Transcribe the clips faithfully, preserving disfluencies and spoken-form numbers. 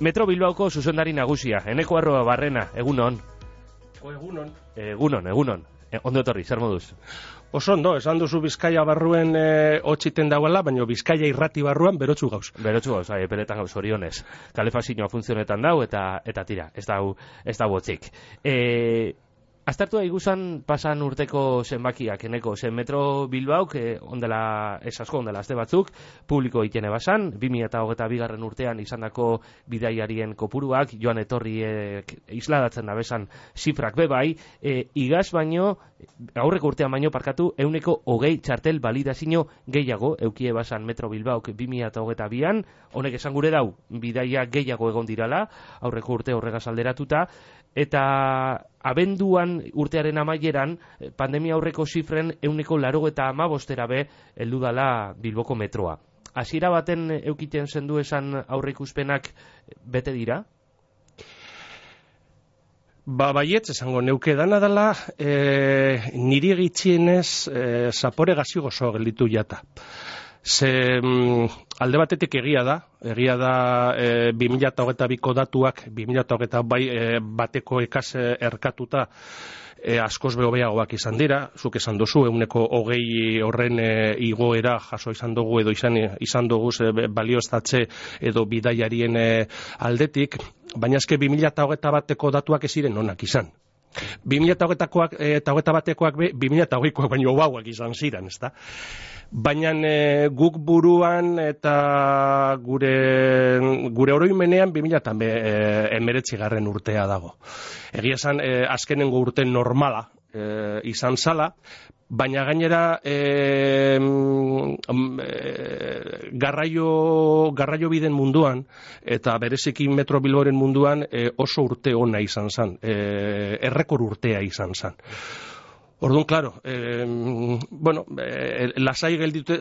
Metro Bilbaoko zuzendari nagusia, Eneko Arroa Barrena, egunon. O egunon. Egunon, egunon. E, ondo etorri, zer moduz? Oso ondo, esan duzu Bizkaia barruen e, hotxiten dauela, baina Bizkaia irrati barruan berotzu gauz. Berotzu gauz, hai, eperetan gauz orionez. Kalefazioa funtzionetan dau, eta eta tira, ez dau, ez dau botzik. E, Aztertu da iguzan pasan urteko zenbakiak, eneko, zen Metro Bilbauk, eh, ondela, ez asko, ondela azte batzuk, publiko itene basan, bi mila hogeita bigarren urtean izandako bidaiarien kopuruak, joan etorriek isladatzen da besan zifrak bebai, eh, igaz baino, aurreko urtean baino parkatu, euneko hogei txartel balidazio gehiago, eukie basan Metro Bilbauk bi mila hogeita bian, honek esan gure dau, bidaia gehiago egon dirala, aurreko urte horregaz alderatuta, eta abenduan urtearen amaieran pandemia aurreko zifren euneko laro eta amabostera be heldu dala Bilboko metroa. Hasiera baten eukiten zendu esan aurreikuspenak bete dira? Ba, baietz, esango neuke dana dela, e, niri egitxienez e, zapore gazi gozo gelditu jata. Ze mm, alde batetik egia da, egia da e, bi mila hogeita biko datuak, bi mila hogeita bai, e, bateko ekaz erkatuta e, askoz behobeagoak izan dira, zuk esan duzu, euneko hogei horren e, igoera jaso izan dugu edo izan, izan dugu e, balioestatze edo bidaiarien e, aldetik, baina eske bi mila hogeita bateko datuak ez ziren onak izan. bi mila hogeita batekoak be, bi mila hogeikoak baino bauak izan ziren, ezta? Baina e, guk buruan eta gure, gure oroimenean bi mila hemeretzi garren urtea dago. Egia esan, e, azkenengo urte normala e, izan zala, baina gainera e, e, garraio, garraio biden munduan eta bereziki Metro Bilboren munduan e, oso urte ona izan zen, e, errekor urtea izan zen. Orduan, klaro, eh, bueno, eh, lasai gelditu,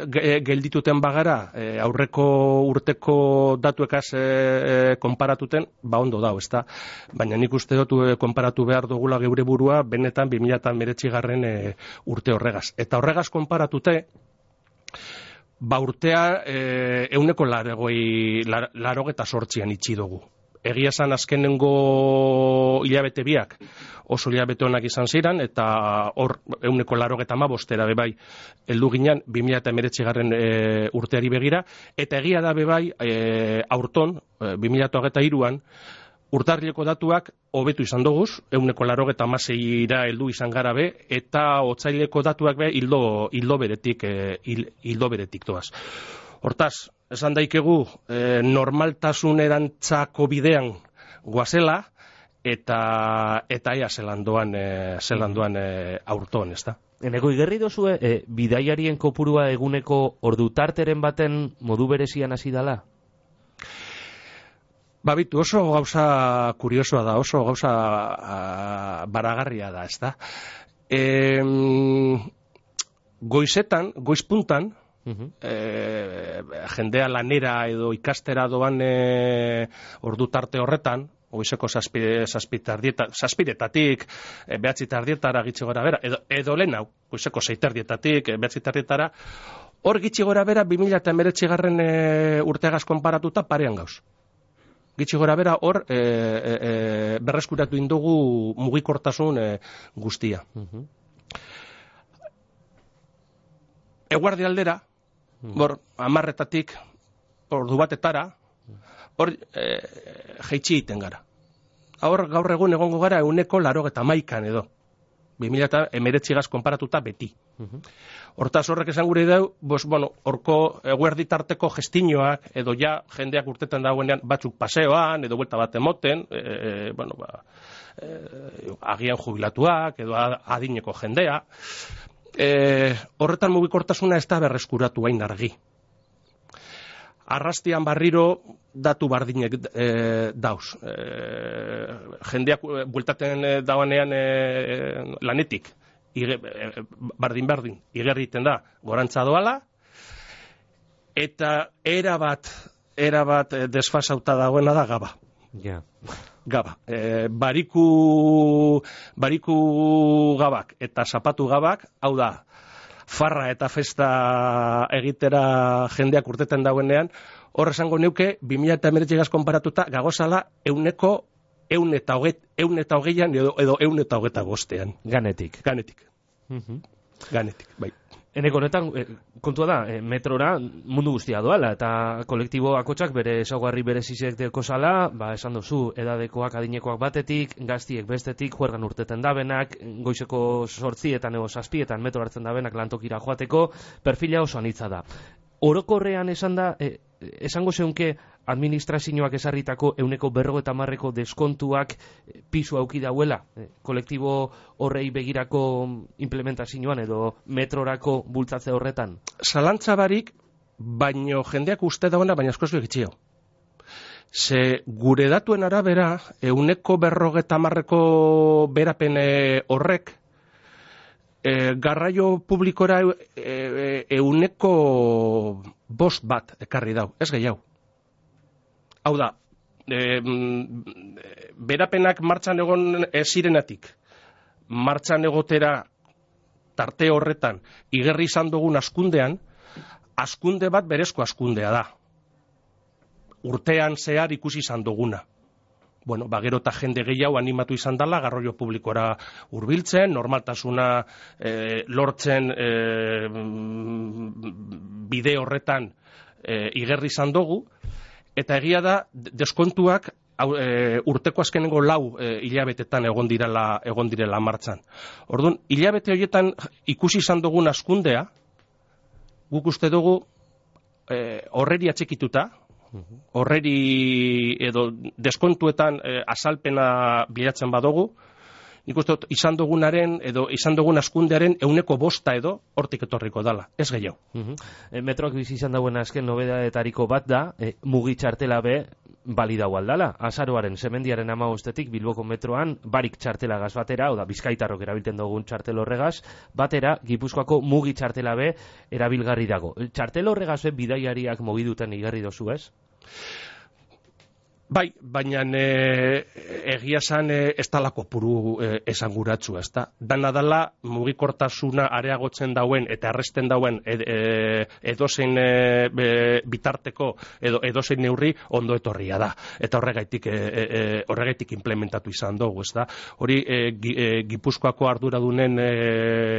geldituten bagara, eh, aurreko urteko datuekaz eh, konparatuten, ba ondo dau, ezta? Baina nik uste dut eh, konparatu behar dugula geure burua, benetan bi mila hemeretzi garren eh, urte horregaz. Eta horregaz konparatute, ba urtea eh, euneko larogei, larogeta sortzian itxi dugu. Egia esan azkenengo hilabete biak oso hilabete honak izan ziren, eta hor euneko larogeta amabostera bebai heldu ginen bi mila hemeretzi garren e, urteari begira, eta egia da bebai e, aurton, e, bi mila hogeita hiruan, urtarrileko datuak hobetu izan doguz, euneko larogeta amaseira heldu izan gara be, eta otsaileko datuak be hildo, hildo beretik, e, hildo beretik doaz. Hortaz, esan daikegu e, normaltasunerantzako bidean goazela, eta eta ea zelandoan, e, zelandoan e, aurton, ez da? Eneko igerri dozue, e, bidaiarien kopurua eguneko ordutarteren baten modu berezian hasi dala? Babitu, oso gauza kuriosoa da, oso gauza a, baragarria da, ez da? E, goizetan, goizpuntan, Uh-huh. E, jendea lanera edo ikastera doan e, ordu tarte horretan, goizeko zazpiretatik e, behatzi tardietara gitxi gora bera, edo, edo lehen hau, goizeko sei tardietatik e, behatzi tardietara, hor gitxi gora bera bi mila hemeretzi garren e, urtegaz konparatuta parean gauz. Gitxi gora bera hor e, e, e, berreskuratu indugu mugikortasun e, guztia. Uh-huh. Eguardi aldera, hor, amarretatik, ordu batetara, hor, e, jeitsi egiten gara. Hor, gaur egun egongo gara euneko larogeta maikan edo. bi mila hemeretzi gaz konparatuta beti. Hortaz horrek esan gure dau, bos, bueno, horko eguerdi tarteko gestinoak, edo ja jendeak urtetan dagoenean batzuk paseoan, edo buelta bat emoten, e, bueno, ba, e, agian jubilatuak, edo adineko jendea, E, horretan mugikortasuna ez da berreskuratu hain argi. Arrastian barriro datu bardinek e, dauz. E, jendeak bueltaten e, dauanean e, lanetik, ige, e, bardin-bardin, igerriten da gorantza doala, eta erabat, erabat desfasauta dagoena da gaba. Ja. Gaba. E, bariku, bariku gabak eta zapatu gabak, hau da, farra eta festa egitera jendeak urteten dauenean, hor esango neuke, bi mila hemeretzigaz konparatuta, gagozala euneko eun eta hoget, eun eta hogeian edo, edo eun eta hogeta bostean. Ganetik. Ganetik. Mhm. Ganetik, bai. Eneko honetan, eh, kontua da, eh, metrora mundu guztia doala, eta kolektibo akotsak bere ezaugarri berezizek deko zala, ba, esan duzu, edadekoak adinekoak batetik, gaztiek bestetik, juergan urteten dabenak, goizeko sortzietan ego zazpietan metro hartzen dabenak lantokira joateko, perfila oso anitza da. Orokorrean esan da, eh, esango zeunke administrazioak esarritako euneko berro eta marreko deskontuak pisu auki dauela, eh, kolektibo horrei begirako implementazioan edo metrorako bultzatze horretan? Zalantza barik, baino jendeak uste dagoena, baina askoz begitxio. Ze gure datuen arabera, euneko berrogeta marreko berapen horrek, e, garraio publikora e, e, euneko bost bat ekarri dau, ez gehiago. Hau da, e, berapenak martxan egon zirenatik, martxan egotera tarte horretan, igerri izan dugun askundean, askunde bat berezko askundea da. Urtean zehar ikusi izan duguna. Bueno, ba, gero eta jende gehiago animatu izan dela, garraio publikora hurbiltzen, normaltasuna e, lortzen e, bide horretan e, igerri izan dugu, eta egia da, deskontuak e, urteko azkenengo lau e, hilabetetan egon direla, egon direla martxan. Orduan, hilabete horietan ikusi izan dugun askundea, guk uste dugu e, horreri atxikituta, horreri edo deskontuetan e, azalpena bilatzen badugu, nik uste dut izan dugunaren edo izan dugun askundearen euneko bosta edo hortik etorriko dala, ez gehiago. Uh-huh. e, metroak bizi izan dauen azken nobedadetariko bat da, e, mugi txartela be balidau aldala. Azaroaren semendiaren hamabostetik Bilboko metroan barik txartela gaz batera, oda bizkaitarrok erabilten dugun txartel horregaz, batera Gipuzkoako mugi txartela be erabilgarri dago. Txartel horregaz be bidaiariak mogiduten igarri dozu, ez? Bai, baina e, egia zan e, ez talako puru e, esanguratzua, ez da. Dana dala mugikortasuna areagotzen dauen eta arresten dauen ed, e, edozein e, e, bitarteko edo edozein neurri ondo etorria da. Eta horregaitik, e, e, horregaitik implementatu izan dugu, ez da. Hori e, e, Gipuzkoako arduradunen e,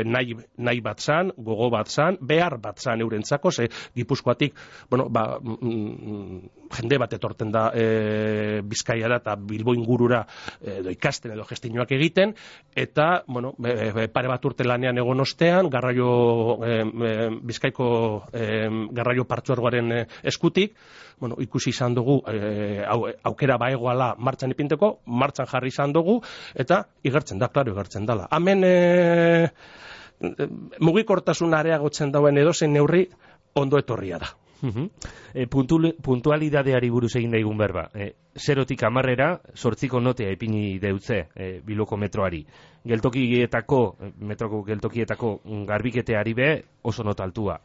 nahi, nahi bat zan, gogo bat zan, behar bat zan eurentzako, ze Gipuzkoatik, bueno, ba, mm, jende bat etorten da e, Bizkaiara eta Bilbo ingurura edo ikasten edo gestinoak egiten, eta bueno, pare bat urte lanean egon ostean, garraio e, e, Bizkaiko e, garraio partzuergoaren eskutik, bueno, ikusi izan dugu e, au, aukera baegoala martxan ipinteko, martxan jarri izan dugu, eta igertzen da, klaro, igertzen dala. Hemen e, mugikortasun areagotzen dauen edozein neurri ondo etorria da. Uh-huh. E, puntualidadeari buruz egin daigun berba. E, zerotik amarrera, sortziko notea ipini deutze e, Bilboko metroari. Geltokietako, metroko geltokietako garbiketeari be oso nota altua.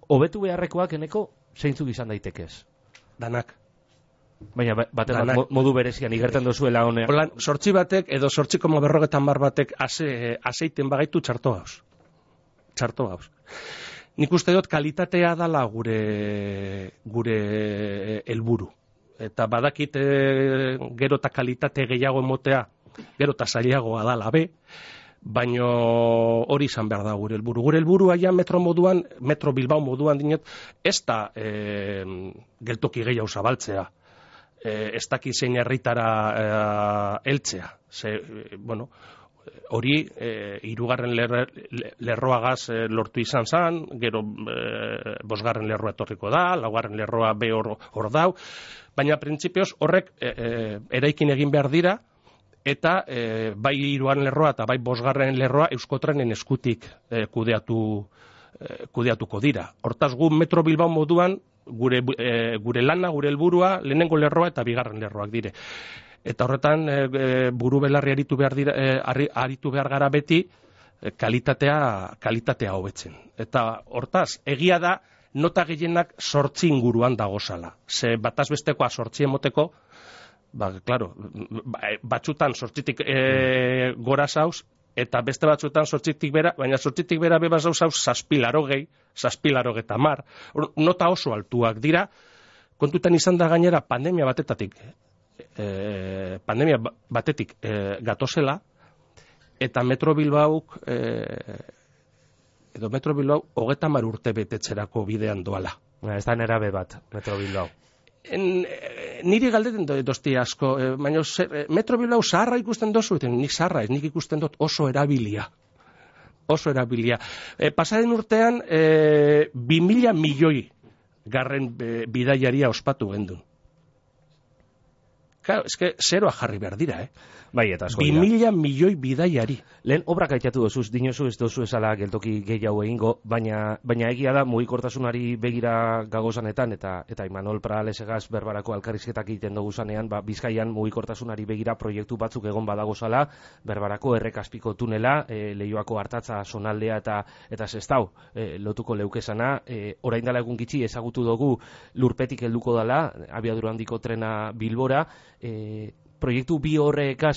Hobetu beharrekoak eneko zeintzuk izan daitekez? Danak. Baina batean modu berezian igertzen dozuela honea. Holan, sortzi batek edo sortzi koma berrogetan mar batek ase, aseiten bagaitu txarto gauz. Txarto gauz. Nik uste dut kalitatea dala gure gure helburu. Eta badakit e, gero eta kalitate gehiago emotea, gero eta zailagoa dala be, baino hori izan behar da gure helburu. Gure helburua ja metro moduan, metro Bilbao moduan dinet, ez da e, geltoki gehiago zabaltzea. E, ez daki zein herritara e, heltzea. Ze, e, bueno, hori e, hirugarren lerro, lerroagaz e, lortu izan zan, gero e, bosgarren lerroa etorriko da, laugarren lerroa be hor, hor dau, baina printzipioz horrek e, e, eraikin egin behar dira, eta e, bai hirugarren lerroa eta bai bosgarren lerroa Euskotrenen eskutik e, kudeatu, e, kudeatuko dira. Hortaz gu Metro Bilbao moduan gure, e, gure lana, gure helburua lehenengo lerroa eta bigarren lerroak dire. Eta horretan e, buru belarri aritu behar, dira, e, aritu behar gara beti e, kalitatea, kalitatea hobetzen. Eta hortaz, egia da nota gehienak sortzi inguruan dagozala. Ze bataz bestekoa sortzi emoteko, ba, klaro, batzutan sortzitik e, gora zauz, eta beste batzutan sortzitik bera, baina sortzitik bera beba zauz zauz zazpilaro gehi, zazpilaro geta mar, nota oso altuak dira, kontutan izan da gainera pandemia batetatik, e, pandemia batetik e, gatozela, eta Metro Bilbauk, e, edo Metro Bilbao hogeta mar urte betetzerako bidean doala. Ez da nerabe bat, Metro Bilbao. En, e, niri galdeten dozti asko, e, baina e, Metro Bilbao zaharra ikusten dozu, eta nik zaharra ez, nik ikusten dut oso erabilia. Oso erabilia. E, pasaren urtean, e, bi mila milioi garren e, bidaiaria ospatu gendun. Claro, eske zeroa jarri behar dira, eh? Bai, eta asko Bi mila milioi bidaiari. Lehen obrak aitatu dozuz, dinozu ez dozu esala geltoki gehiago egingo, baina, baina egia da mugikortasunari begira gagozanetan, eta eta Imanol Pralesegaz berbarako alkarrizketak egiten dugu zanean, ba, Bizkaian mugikortasunari begira proiektu batzuk egon badagozala, berbarako errekaspiko tunela, e, Leioako Artatza zonaldea eta eta Sestao e, lotuko leukezana, e, orain dela egun gitxi ezagutu dugu Lurpetik helduko dela, abiadura handiko trena Bilbora, e, proiektu bi horrekaz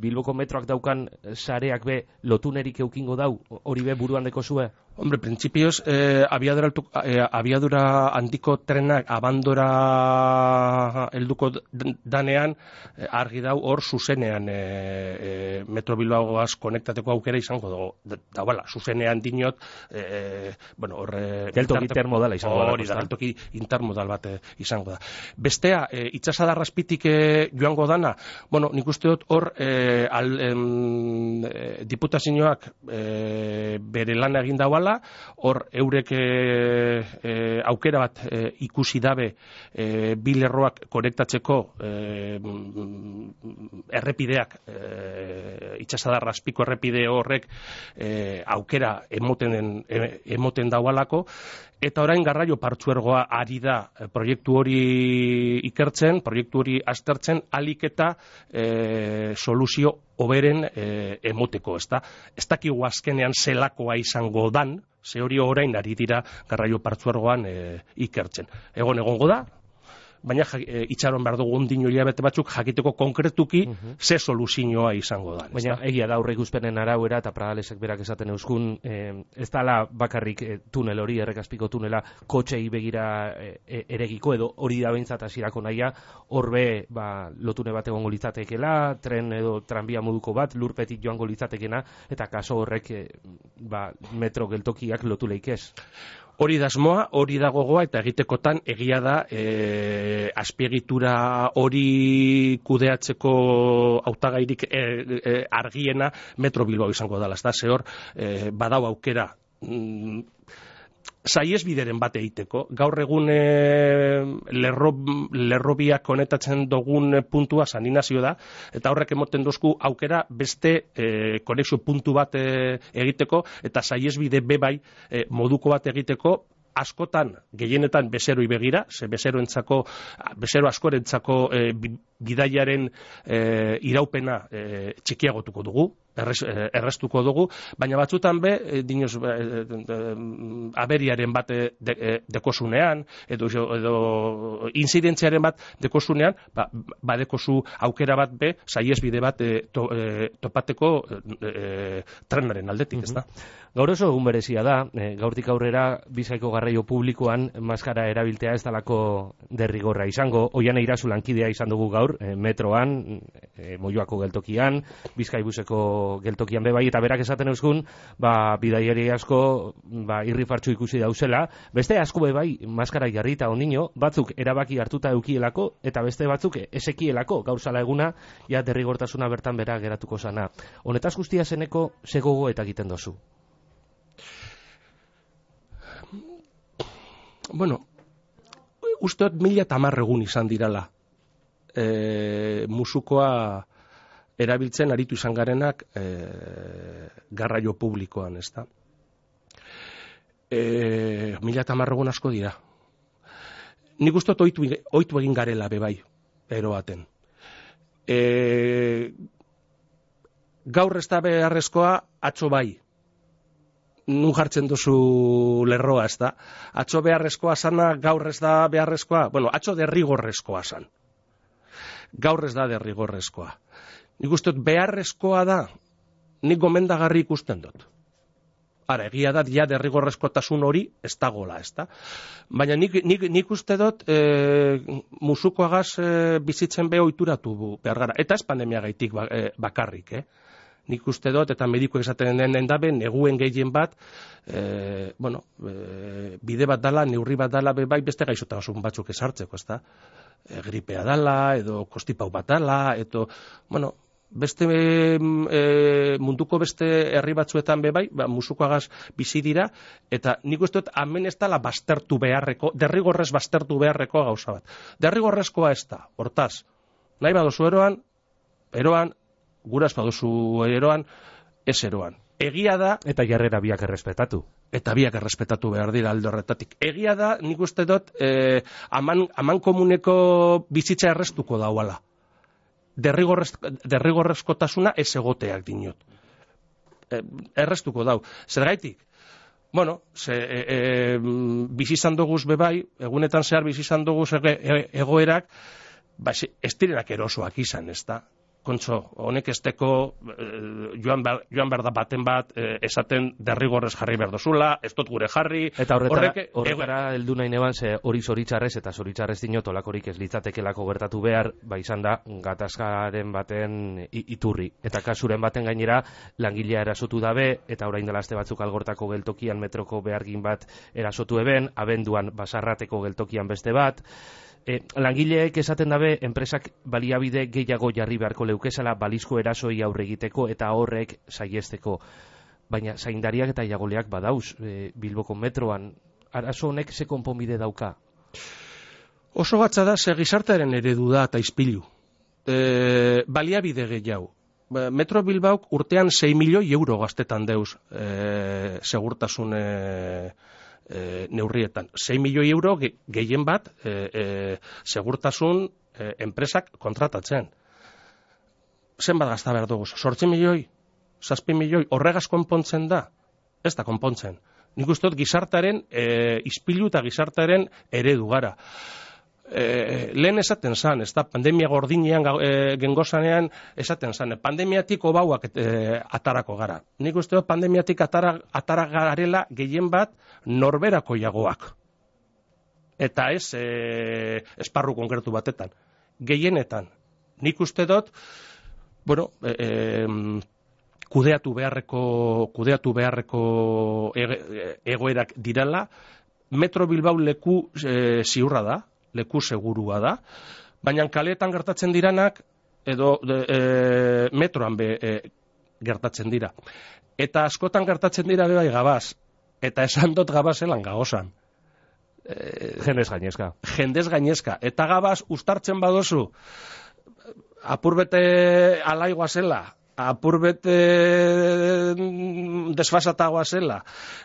Bilboko metroak daukan sareak be lotunerik eukingo dau, hori be buruan deko zue? Hombre, principios, eh, abiadura, eh, abiadura handiko trenak abandora helduko danean, eh, argi dau hor zuzenean eh, eh, Metro Bilbaoaz konektateko aukera izango dago. Da, da bala, zuzenean dinot, eh, bueno, hor... Eh, geltoki intermodala izango da. Hori da, geltoki intermodal bat eh, izango da. Bestea, eh, itxasadarrazpitik eh, joango dana, bueno, nik uste dut hor eh, al, em, eh, diputazioak eh, bere lan egin dauala, hor eurek e, e, aukera bat e, ikusi dabe e, bi lerroak konektatzeko e, errepideak e, itxasadarrazpiko errepide horrek e, aukera emoten, e, emoten daualako, eta orain garraio partzuergoa ari da proiektu hori ikertzen, proiektu hori aztertzen, alik eta e, soluzio hoberen e, emoteko, ezta? Ez dakigu azkenean zelakoa izango dan, ze hori orain ari dira garraio partzuergoan e, ikertzen. Egon egongo da, baina e, itxaron behar dugu ondino hilabete batzuk jakiteko konkretuki uh-huh. ze soluzioa izango da. Baina egia da aurre ikuspenen arauera eta Pradalesek berak esaten euskun, eh, ez dala bakarrik eh, tunel hori, errekaspiko tunela kotxei begira eh, eregiko edo hori da behintzat hasierako nahia, horbe ba, lotune bat egongo litzatekela, tren edo tranbia moduko bat, Lurpetik joango litzatekena, eta kaso horrek eh, ba, metro geltokiak lotu leikez. Hori da asmoa, hori da gogoa, eta egitekotan egia da e, azpiegitura hori kudeatzeko hautagairik e, e, argiena Metro Bilbao izango dela. Ez da, zehor, e, badau aukera mm, saiesbideren bat egiteko. Gaur egun e, lerro, lerrobiak konektatzen dugun puntua Saninazio da, eta horrek emoten dozku aukera beste e, konexio puntu bat e, egiteko, eta saiesbide bebai e, moduko bat egiteko, askotan, gehienetan bezeroi begira, ze bezeroentzako, bezero askorentzako e, bidaiaren e, iraupena e, txikiagotuko dugu, errez, erreztuko dugu, baina batzutan be, e, dinoz, e, e, aberiaren bat de, de, dekosunean, edo, edo inzidentziaren bat dekosunean, ba, badekozu aukera bat be, saiesbide bat e, to, e, topateko e, trenaren aldetik, ez da? Gaur oso egun berezia da, e, gaurtik aurrera Bizkaiko garraio publikoan maskara erabiltea ez dalako derrigorra izango, Oiane Irazu lankidea izan dugu gaur, e, metroan, e, Moioako geltokian, Bizkaibuseko geltokian bebai, eta berak esaten euskun, ba, bidaiari asko ba, irrifartxu ikusi dauzela, beste asko bebai maskara jarri eta ondino, batzuk erabaki hartuta eukielako, eta beste batzuk esekielako, gaur zala eguna, ja derrigortasuna bertan bera geratuko zana. Honetaz guztia zeneko zegogo eta egiten dozu? Bueno, usteot mila tamar egun izan dirala e, musukoa erabiltzen aritu izan garenak e, garraio publikoan, ez da? E, mila tamar egun asko dira. Nik usteot oitu, oitu egin garela bebai, eroaten. E, gaur ez da beharrezkoa, atzo bai. Nun jartzen duzu lerroa, ez da? Atzo beharrezkoa sana, gaur ez da beharrezkoa? Bueno, atzo derrigorrezkoa san. Gaur ez da Ara, egia da, ja derrigorrezkotasun hori ez dagola, ez da? Baina nik, nik, nik uste dut e, musukoagaz e, bizitzen beho ohituratu behar gara. Eta ez pandemia gaitik ba, e, bakarrik, eh? Nik uste dut, eta medikuek esaten den dabe, neguen gehien bat, e, bueno, e, bide bat dala, neurri bat dala, be, bai beste gaixotasun batzuk esartzeko, ez da? E, gripea dala, edo kostipau bat dala, edo, bueno, beste e, munduko beste herri batzuetan be bai, ba, musukoagaz bizi dira, eta nik uste dut hemen ez dala baztertu beharreko, derrigorrez baztertu beharreko gauza bat. Derrigorrezkoa ez da, hortaz, nahi badozu eroan, eroan, guraz badozu eroan, ez eroan. Egia da... Eta jarrera biak errespetatu. Eta biak errespetatu behar dira alde horretatik. Egia da, nik uste dut, eh, aman, aman komuneko bizitza errestuko dauala. Derrigorrez, derrigorrezkotasuna ez egoteak dinot. E, errestuko dau. Zergaitik? Bueno, ze, e, e, bizizan doguz bebai, egunetan zehar bizizan doguz ege, e, egoerak, ba, ez direnak erosoak izan, ez da? Kontxo, honek esteko e, joan, ber, joan berda baten bat e, esaten derrigorrez jarri berdozula, ez dut gure jarri. Eta horretara, horrek, horretara heldu nahi neban, ze hori zoritxarrez eta zoritxarrez dinot olakorik ez litzatekelako gertatu behar, ba izan da, gatazkaren baten iturri. Eta kasuren baten gainera, langilea erasotu dabe, eta orain dela aste batzuk algortako geltokian metroko behargin bat erasotu eben, abenduan basarrateko geltokian beste bat. E, langileek esaten dabe, enpresak baliabide gehiago jarri beharko leukezala balizko erasoi aurre egiteko eta horrek saiesteko. Baina zaindariak eta jagoleak badauz e, Bilboko metroan. Arazo honek ze konponbide dauka? Oso batza da, ze gizartearen eredu da eta izpilu. E, baliabide gehiago. Metro Bilbauk urtean sei milioi euro gaztetan deuz e, segurtasun e, E, neurrietan. sei milioi euro ge, gehien bat e, e, segurtasun e, enpresak kontratatzen. Zenbat gazta behar dugu? Sortzi milioi? Zazpi milioi? Horregaz konpontzen da? Ez da konpontzen. Nik uste dut gizartaren e, izpilu eta gizartaren eredu gara. E, lehen esaten zan, ez da, pandemia gordinean e, gengozanean esaten zan, pandemiatik obauak e, atarako gara. Nik uste dut pandemiatik atara, atara garela gehien bat norberako jagoak. Eta ez e, esparru konkretu batetan. Gehienetan. Nik uste dut, bueno, e, e, kudeatu beharreko, kudeatu beharreko ege, egoerak dirala, Metro Bilbao leku e, ziurra da, leku segurua da, baina kaleetan gertatzen diranak edo de, e, metroan be e, gertatzen dira. Eta askotan gertatzen dira bai gabaz, eta esan dut gabazelan gagozan. E, jendez gainezka. Jendez gainezka. Eta gabaz ustartzen badozu, apurbete alaigua zela, apurbete desfasatagoa zela,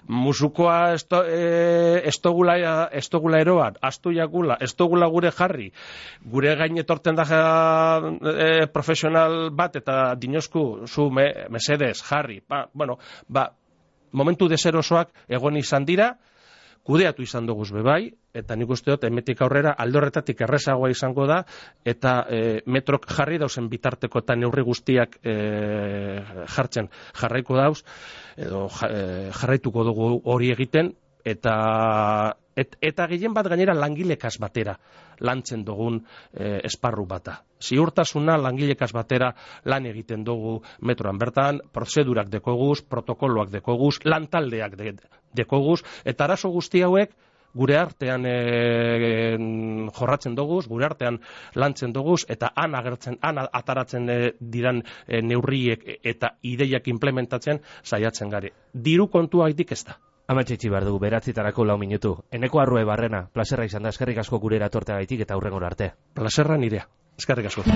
musukoa esto, e, estogula, estogula eroan, astu jakula, estogula gure jarri, gure gain etorten da e, profesional bat, eta dinosku zu me, mesedez jarri, ba, bueno, ba, momentu deserosoak egon izan dira, kudeatu izan duguz bebai, eta nik uste dut, emetik aurrera, alde horretatik errezagoa izango da, eta e, metrok jarri dauzen bitarteko eta neurri guztiak e, jartzen jarraiko dauz, edo e, jarraituko dugu hori egiten, eta et, eta gehien bat gainera langilekaz batera lantzen dugun e, esparru bata. Ziurtasuna langilekaz batera lan egiten dugu metroan bertan, prozedurak dekoguz, protokoloak dekoguz, lantaldeak de, dekoguz, eta arazo guzti hauek gure artean e, jorratzen doguz, gure artean lantzen doguz, eta han agertzen, han ataratzen e, diran e, neurriek eta ideiak implementatzen saiatzen gare. Diru kontua haitik ez da. Amatxetxi behar dugu, beratzitarako lau minutu. Eneko Arrue Barrena, plazerra izan da, eskerrik asko gure eratorteagaitik eta hurrengora arte. Plazerra nirea, eskerrik asko.